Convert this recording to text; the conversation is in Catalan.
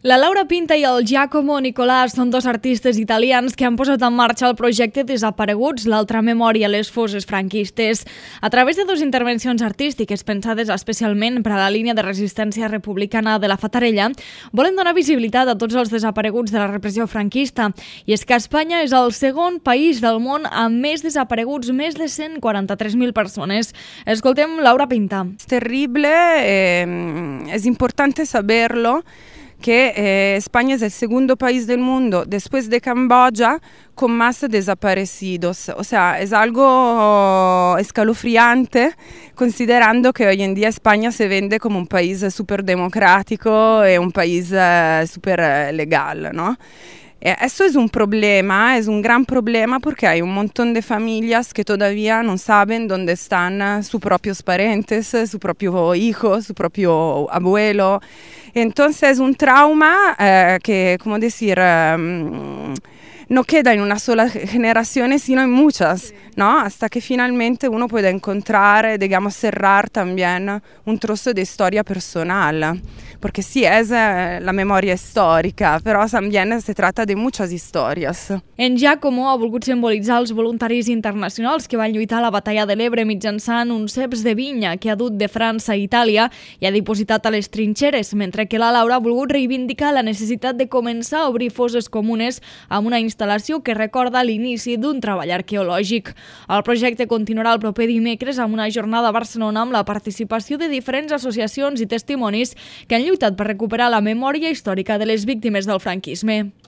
La Laura Pinta i el Giacomo Nicolàs són dos artistes italians que han posat en marxa el projecte Desapareguts, l'altra memòria a les fosses franquistes. A través de dues intervencions artístiques pensades especialment per a la línia de resistència republicana de la Fatarella, volen donar visibilitat a tots els desapareguts de la repressió franquista. I és que Espanya és el segon país del món amb més desapareguts, més de 143.000 persones. Escoltem Laura Pinta. Es terrible, es importante saberlo, que España es el segundo país del mundo, después de Camboya, con más desaparecidos. O sea, es algo escalofriante, considerando que hoy en día España se vende como un país súper democrático y un país súper legal, ¿no? Eso es un problema, es un gran problema porque hay un montón de familias que todavía no saben dónde están sus propios parientes, su propio hijo, su propio abuelo. Entonces es un trauma que, como decir, no queda en una sola generación, sino en muchas, ¿no? Hasta que finalmente uno puede encontrar, digamos, cerrar también un trozo de historia personal. Porque sí es la memoria histórica, però también se trata de muchas historias. En Giacomo ha volgut simbolitzar els voluntaris internacionals que van lluitar a la batalla de l'Ebre mitjançant un ceps de vinya que ha dut de França a Itàlia i ha dipositat a les trinxeres, mentre que la Laura ha volgut reivindicar la necessitat de començar a obrir fosses comunes amb una instal·lació que recorda l'inici d'un treball arqueològic. El projecte continuarà el proper dimecres amb una jornada a Barcelona amb la participació de diferents associacions i testimonis que han lluitat per recuperar la memòria històrica de les víctimes del franquisme.